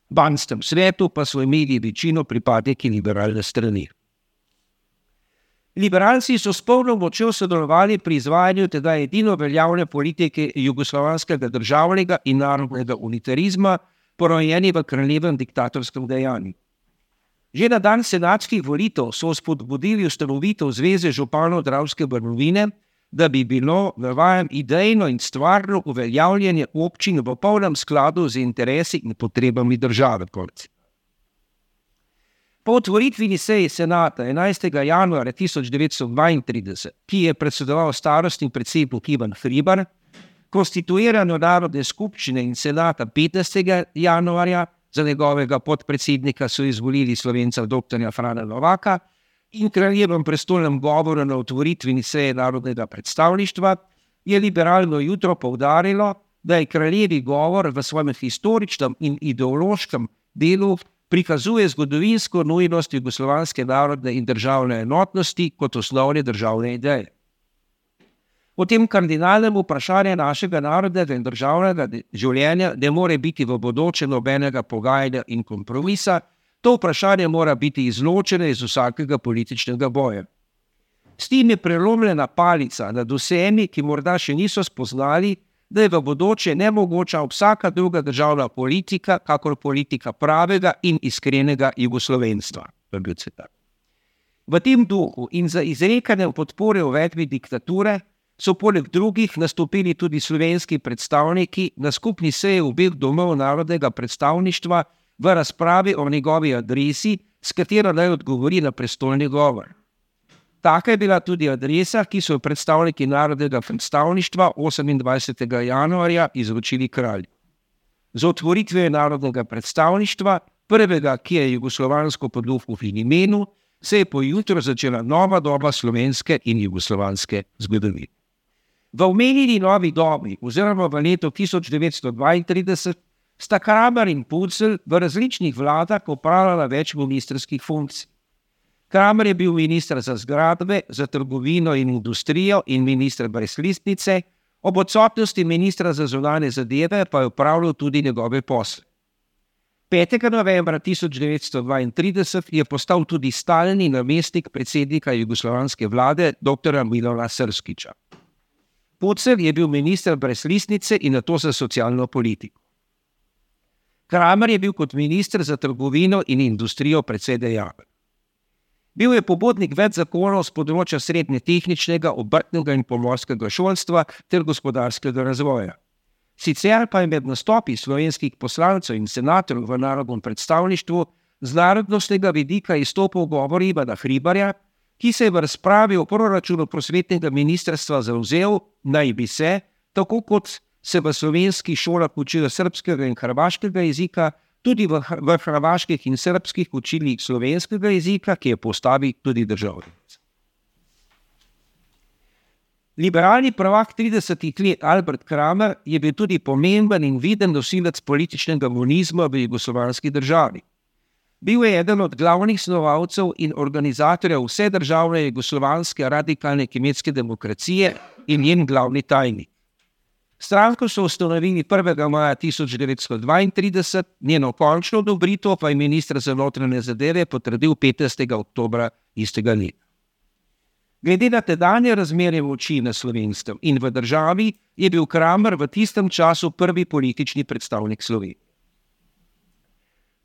banskem svetu pa so imeli večino pripadniki liberalne strani. Liberalci so s polno močjo sodelovali pri izvajanju tega edino veljavne politike jugoslovanskega državnega in narodnega unitarizma, porojeni v kraljevem diktatorskem dejanju. Že na dan senatskih volitev so spodbudili ustanovitev Zveze županov Dravske banovine, da bi bilo, navajam, idejno in stvarno uveljavljanje občin v polnem skladu z interesi in potrebami države. Po otvoritveni seji senata enajstega januarja tisoč devetsto dvaintrideset, ki je predsedoval starostni predsednik Ivan Hribar, konstituirano Narodne skupščine in senata petnajstega januarja, za njegovega podpredsednika so izvolili Slovenca doktorja Frana Novaka, in kraljevem prestolnem govoru na otvoritveni seji narodnega predstavništva je liberalno jutro poudarilo, da je kraljevi govor v svojem historičnem in ideološkem delu prikazuje zgodovinsko nujnost jugoslovanske narodne in državne enotnosti kot osnovne državne ideje. O tem kardinalnem vprašanju našega narodnega in državnega življenja ne more biti v bodoče nobenega pogajanja in kompromisa, to vprašanje mora biti izločeno iz vsakega političnega boja. S tem je prelomljena palica nad vsemi, ki morda še niso spoznali, da je v bodoče nemogoča vsaka druga državna politika, kakor politika pravega in iskrenega jugoslovenstva. V tem duhu in za izrekanje podpore uvedbi diktature so poleg drugih nastopili tudi slovenski predstavniki na skupni seji obeh domov narodnega predstavništva v razpravi o njegovi adresi, s katero naj odgovori na prestolni govor. Taka je bila tudi adresa, ki so predstavniki narodnega predstavništva osemindvajsetega januarja izročili kralju. z otvoritvijo narodnega predstavništva, prvega, ki je jugoslovansko podluho v imenu, se je pojutro začela nova doba slovenske in jugoslovanske zgodovine. V omenjeni novi dobi, oziroma v letu tisoč devetsto dvaintrideset, sta Kramer in Pucelj v različnih vladah opravljala več ministrskih funkcij. Kramer je bil minister za zgradbe, za trgovino in industrijo in minister brez listnice, ob odsotnosti ministra za zunanje zadeve pa je opravljal tudi njegove posle. petega novembra tisoč devetsto dvaintrideset je postal tudi stalni namestnik predsednika jugoslovanske vlade doktorja Milana Srskića. Pucelj je bil minister brez listnice in nato za socialno politiko. Kramer je bil kot minister za trgovino in industrijo precej dejaven. Bil je pobudnik več zakonov z področja srednjetehničnega, obrtnega in pomorskega šolstva ter gospodarskega razvoja. Sicer pa je med nastopi slovenskih poslancev in senatorjev v narodnem predstavništvu z narodnostnega vidika izstopal govor Ivana Hribarja, ki se je v razpravi o proračunu prosvetnega ministrstva zavzel, naj bi se, tako kot se v slovenskih šolah učijo srbskega in hrvaškega jezika, tudi v, v hrvaških in srbskih učili slovenskega jezika, ki je postavi tudi državljanec. Liberalni prvak tridesetih let Albert Kramer je bil tudi pomemben in viden nosilec političnega monizma v jugoslovanski državi. Bil je eden od glavnih snovalcev in organizatorjev vse državne jugoslovanske radikalne kmetske demokracije in njen glavni tajnik. Stranko so ustanovili prvega maja tisoč devetsto dvaintrideset, njeno končno odobritev pa je minister za notranje zadeve potrdil petnajstega oktobra istega leta. Glede na tedanje razmerje moči na Slovenskem in v državi je bil Kramer v tistem času prvi politični predstavnik Slovenije.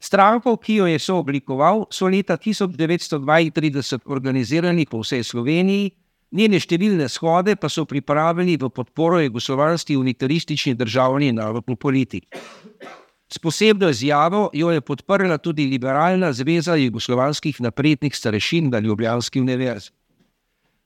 Stranko, ki jo je sooblikoval, so leta tisoč devetsto dvaintrideset organizirali po vsej Sloveniji, njene številne shode pa so pripravili v podporo jugoslovanski unitaristični državni in narodni politiki. S posebno izjavo jo je podprla tudi Liberalna zveza jugoslovanskih naprednih starešin na ljubljanski univerzi.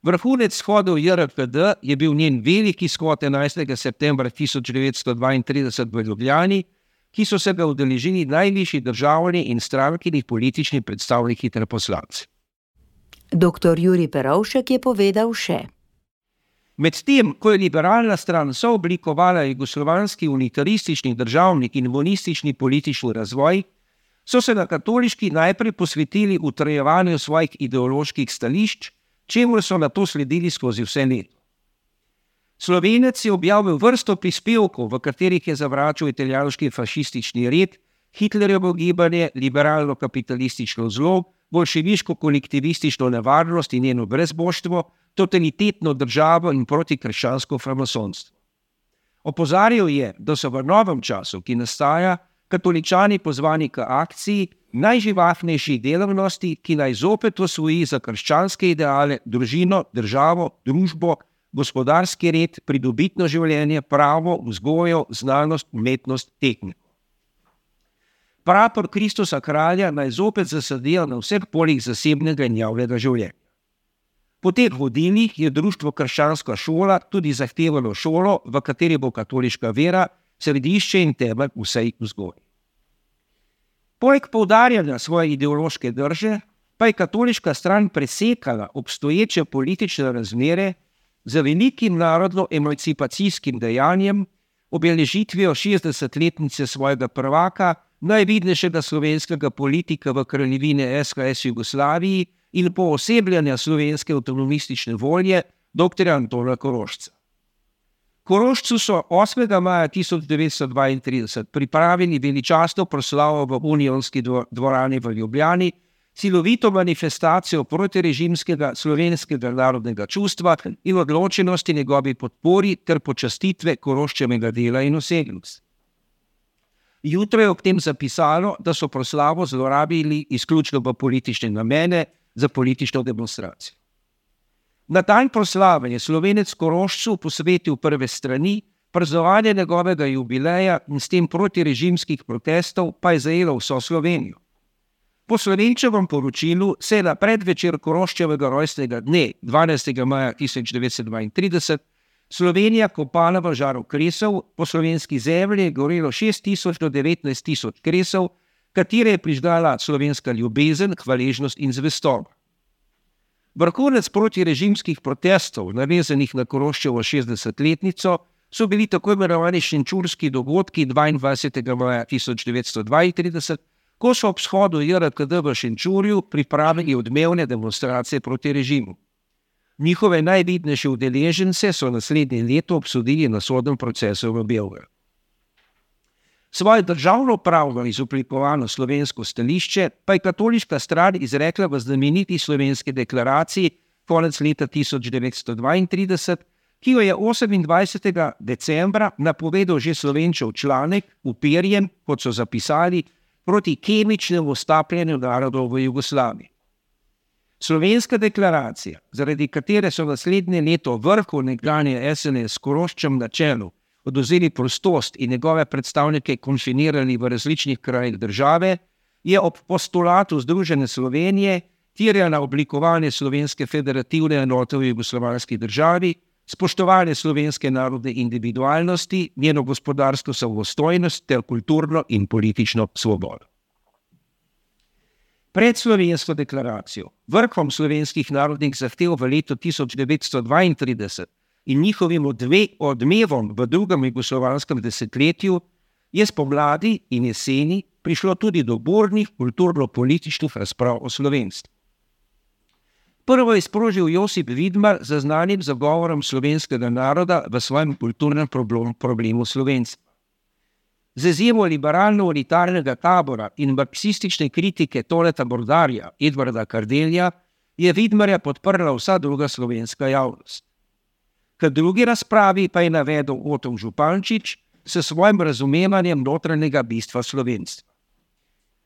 Vrhunec shodov J R K D je bil njen veliki shod enajstega septembra tisoč devetsto dvaintrideset v Ljubljani, ki so se ga udeležili najvišji državni in strankini politični predstavniki ter poslanci. Doktor Jurij Perovšek je povedal še. Medtem, ko je liberalna stran sooblikovala jugoslovanski unitaristični državni in monistični politični razvoj, so se na katoliški najprej posvetili utrajevanju svojih ideoloških stališč, čemur so nato sledili skozi vse leto. Slovenec je objavil vrsto prispevkov, v katerih je zavračal italijanski fašistični red, Hitlerjevo gibanje, liberalno-kapitalistično zlo, bolševiško-kolektivistično nevarnost in njeno brezboštvo, totalitetno državo in protikrščansko framasonstvo. Opozarjal je, da so v novem času, ki nastaja, katoličani pozvani k akciji najživahnejših delavnosti, ki naj zopet osvoji za krščanske ideale, družino, državo, družbo, gospodarski red, pridobitno življenje, pravo, vzgojo, znanost, umetnost, tehniko. Prapor Kristusa kralja naj zopet zasadijo na vseh poljih zasebnega in javnega življenja. Po teh vodilih je društvo Krščanska šola tudi zahtevalo šolo, v kateri bo katoliška vera središče in temelj vsej vzgoji. Poleg poudarjanja svoje ideološke drže, pa je katoliška stran presekala obstoječe politične razmere z velikim narodno-emancipacijskim dejanjem, obeležitvijo šestdesetletnice svojega prvaka, najvidnejšega slovenskega politika v kraljevini S H S Jugoslaviji in poosebljanja slovenske avtonomistične volje doktorja Antona Korošca. Korošcu so osmega maja tisoč devetsto dvaintrideset pripravili veličastno proslavo v Unionski dvorani v Ljubljani, silovito manifestacijo protirežimskega slovenskega narodnega čustva in odločenosti njegovi podpori ter počastitve Koroščevega dela in osebnosti. Jutro je ob tem zapisalo, da so proslavo zlorabili izključno v politične namene za politično demonstracijo. Na dan proslave je Slovenec Korošcu posvetil prve strani, praznovanje njegovega jubileja in s tem protirežimskih protestov pa je zajelo vso Slovenijo. Po Slovenčevem poročilu se je na predvečer Koroščevega rojstnega dne, dvanajstega maja tisoč devetsto dvaintrideset, Slovenija kopala v žaru kresov, po slovenski zemlji je gorelo šest tisoč do devetnajst tisoč kresov, katere je prižgala slovenska ljubezen, hvaležnost in zvestoba. Vrhunec protirežimskih protestov, navezanih na Koroščevo šestdesetletnico, so bili tako imenovani šenčurski dogodki dvaindvajsetega maja tisoč devetsto dvaintrideset, ko so ob shodu J R K D v Šenčurju pripravili odmevne demonstracije proti režimu. Njihove najvidnejše udeležence so naslednje leto obsodili na sodnem procesu v Beogradu. Svoje državnopravno izoblikovano slovensko stališče pa je katoliška stran izrekla v znameniti slovenski deklaraciji konec leta tisoč devetsto dvaintrideset, ki jo je osemindvajsetega decembra napovedal že Slovenčev članek uperjen, kot so zapisali, proti kemičnemu stapljenju narodov v Jugoslaviji. Slovenska deklaracija, zaradi katere so naslednje leto vrhu nekdanje S N S s Koroščem na čelu odvzeli prostost in njegove predstavnike konfinirali v različnih krajih države, je ob postulatu Združene Slovenije terjala oblikovanje slovenske federativne enote v jugoslovanski državi, spoštovanje slovenske narodne individualnosti, njeno gospodarsko samostojnost ter kulturno in politično svobodo. Pred slovensko deklaracijo, vrhom slovenskih narodnih zahtev v letu tisoč devetsto dvaintrideset in njihovim odve, odmevom v drugem jugoslovanskem desetletju, je spomladi in jeseni prišlo tudi do burnih kulturno-političnih razprav o slovenstvu. Prvo je sprožil Josip Vidmar z znanim zagovorom slovenskega naroda v svojem kulturnem problem, problemu slovenstva. Z izjemo liberalno-unitarnega tabora in marksistične kritike Toleta Bordarja, Edvarda Kardelja, je Vidmarja podprla vsa druga slovenska javnost. K drugi razpravi pa je navedel Oton Župančič s svojim razumevanjem notranjega bistva slovenstva.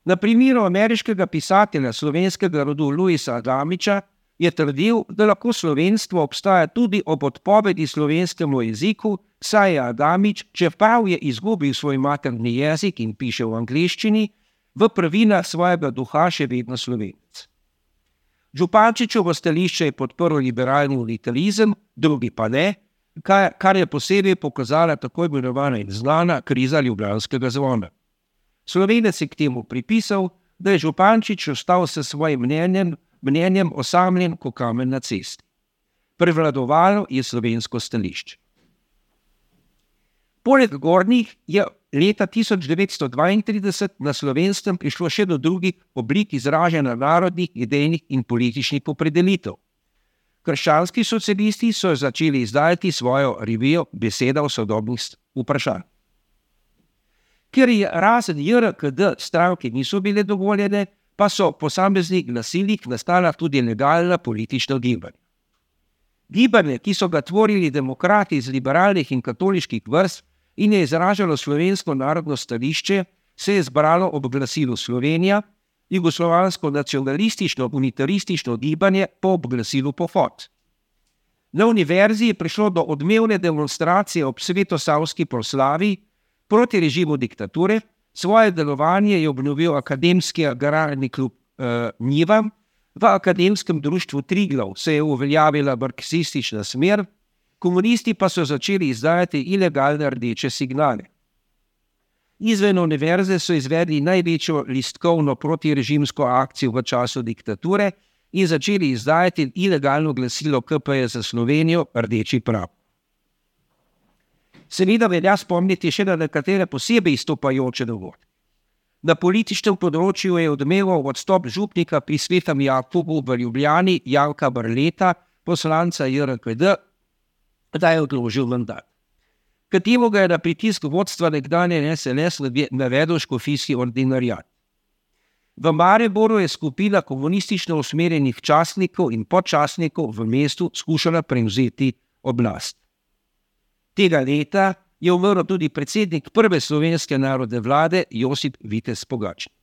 Na primeru ameriškega pisatelja slovenskega rodu Louisa Adamiča je trdil, da lahko slovenstvo obstaja tudi ob odpovedi slovenskemu jeziku, saj je Adamič, čeprav je izgubil svoj materni jezik in piše v angleščini, v prvinah svojega duha še vedno Slovenec. Župančičevo stališče je podprl liberalni unitarizem, drugi pa ne, kar je posebej pokazala tako imenovana in znana kriza ljubljanskega zvona. Slovenec je k temu pripisal, da je Župančič ostal s svojim mnenjem, mnenjem osamljen kot kamen na cesti. Prevladovalo je slovensko stališče. Poleg gornjih je leta tisoč devetsto dvaintrideset na Slovenskem prišlo še do drugih oblik izražanja narodnih, idejnih in političnih opredelitev. Krščanski socialisti so začeli izdajati svojo revijo Beseda o sodobnih vprašanj. Ker je razen J R K D stranke niso bile dovoljene, pa so v posameznih glasilih nastala tudi legalna politična gibanja. Gibanje, ki so ga tvorili demokrati iz liberalnih in katoliških vrst in je izražalo slovensko narodno stališče, se je zbralo ob glasilu Slovenija, jugoslovansko nacionalistično unitaristično gibanje po glasilu Pohod. Na univerzi je prišlo do odmevne demonstracije ob svetosavski proslavi proti režimu diktature. Svoje delovanje je obnovil akademski agrarni klub eh, Njiva. V akademskem društvu Triglav se je uveljavila marksistična smer, komunisti pa so začeli izdajati ilegalne rdeče signale. Izven univerze so izvedli največjo listkovno protirežimsko akcijo v času diktature in začeli izdajati ilegalno glasilo K P je za Slovenijo Rdeči prav. Seveda velja spomniti še na nekatere posebej izstopajoče dogodke. Na političnem področju je odmeval odstop župnika pri Svetem Jakobu v Ljubljani Janka Barleta, poslanca J R K D, da je odložil mandat. K temu ga je na pritisk vodstva nekdanje S N S navedel škofijski ordinariat. V Mariboru je skupina komunistično usmerjenih častnikov in podčastnikov v mestu skušala prevzeti oblast. Tega leta je umrl tudi predsednik prve slovenske narodne vlade Josip Vitez Pogačnik.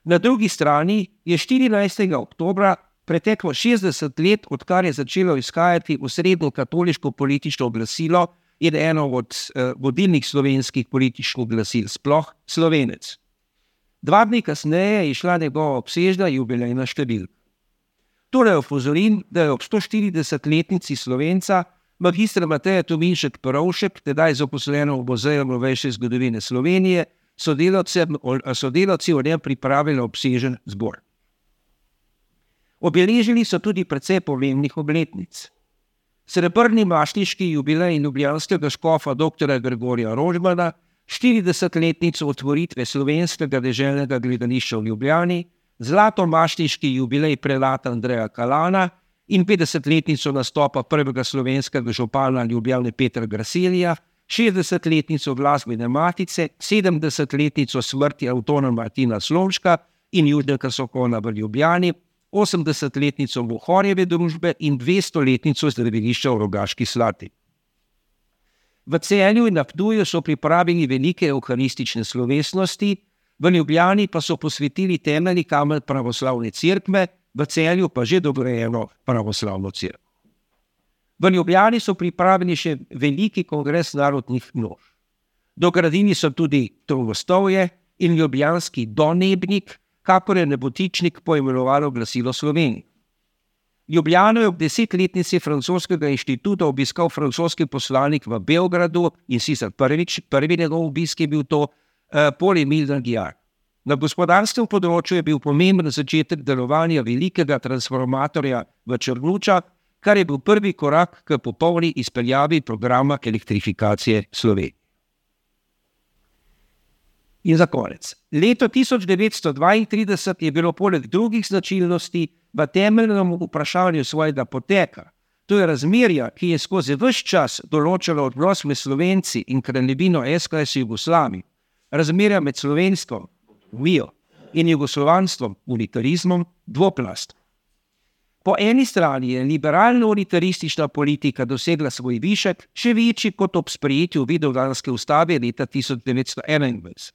Na drugi strani je štirinajstega oktobra preteklo šestdeset let, odkar je začelo izhajati osrednjo katoliško politično glasilo in eno od eh, vodilnih slovenskih političnih glasil sploh, Slovenec. Dva dni kasneje je šla njegova obsežna jubilejna številka. Torej opozorim, da je ob sto štiridesetletnici Slovenca Magister Mateja Tominšek Perovšek, tedaj zaposlena v Muzeju novejše zgodovine Slovenije, sodelavci o njem pripravili obsežen zbor. Obeležili so tudi precej pomembnih obletnic. Srebrni mašniški jubilej ljubljanskega škofa doktorja Gregorja Rožmana, štiridesetletnico otvoritve Slovenskega deželnega gledališča v Ljubljani, zlatomašniški jubilej prelata Andreja Kalana in petdesetletnico nastopa prvega slovenskega župana Ljubljane Petra Graselija, šestdesetletnico glasbene matice, sedemdesetletnico smrti Antona Martina Slomška in Južnega Sokona v Ljubljani, osemdesetletnico Bohorjeve družbe in dvestoletnico zdravilišča v Rogaški Slatini. V Celju in na Ptuju so pripravili velike evharistične slovesnosti, v Ljubljani pa so posvetili temeljni kamen pravoslavne cerkve, v Celju pa že dograjeno pravoslavno cerkev. V Ljubljani so pripravili še veliki kongres narodnih množ. Dogradili so tudi Trogostovje in ljubljanski Donebnik, kakor je Nebotičnik poimenovalo glasilo Slovenije. Ljubljano je ob desetletnici francoskega inštituta obiskal francoski poslanik v Beogradu in sicer prvič, prvi njegov obisk je bil to eh, Paul-Émile Danguilliard. Na gospodarskem področju je bil pomemben začetek delovanja velikega transformatorja v Črnučah, kar je bil prvi korak k popolni izpeljavi programa elektrifikacije Slovenije. In za konec. Leto tisoč devetsto dvaintrideset je bilo poleg drugih značilnosti v temeljnem vprašanju svojega poteka, to je razmerja, ki je skozi ves čas določalo odnos med Slovenci in kraljevino S K S Jugoslavije, razmerja med slovensko vijo in jugoslovanstvom, unitarizmom, dvoplast. Po eni strani je liberalno-unitaristična politika dosegla svoj višek, še večji kot ob sprejetju Vidovdanske ustave leta tisoč devetsto enaindvajset.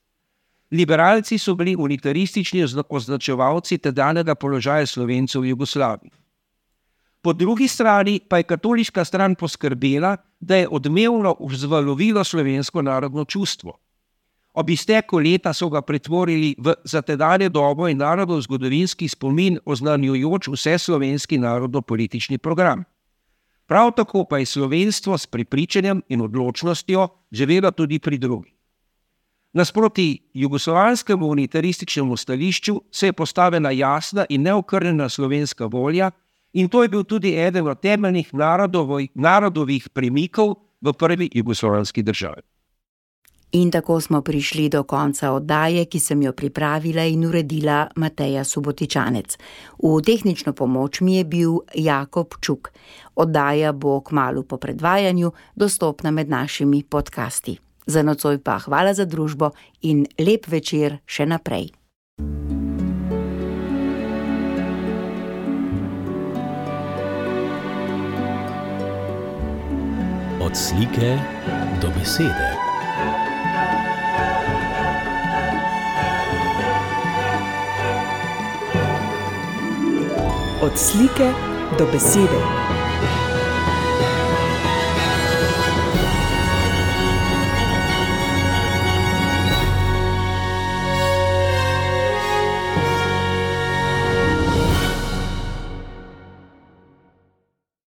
Liberalci so bili unitaristični označevalci tedanjega položaja Slovencev v Jugoslaviji. Po drugi strani pa je katoliška stran poskrbela, da je odmevno vzvalovilo slovensko narodno čustvo. Ob izteku leta so ga pretvorili v za tedanje dobo in narodov zgodovinski spomin oznanjujoč vse slovenski narodno-politični program. Prav tako pa je slovenstvo s prepričanjem in odločnostjo živelo tudi pri drugih. Nasproti jugoslovanskemu unitarističnemu stališču se je postavila jasna in neokrnjena slovenska volja in to je bil tudi eden od temeljnih narodovih, narodovih premikov v prvi jugoslovanski državi. In tako smo prišli do konca oddaje, ki sem jo pripravila in uredila Mateja Subotičanec. V tehnično pomoč mi je bil Jakob Čuk. Oddaja bo kmalu po predvajanju dostopna med našimi podcasti. Za nocoj pa hvala za družbo in lep večer še naprej. Od slike do besede. Od slike do besede.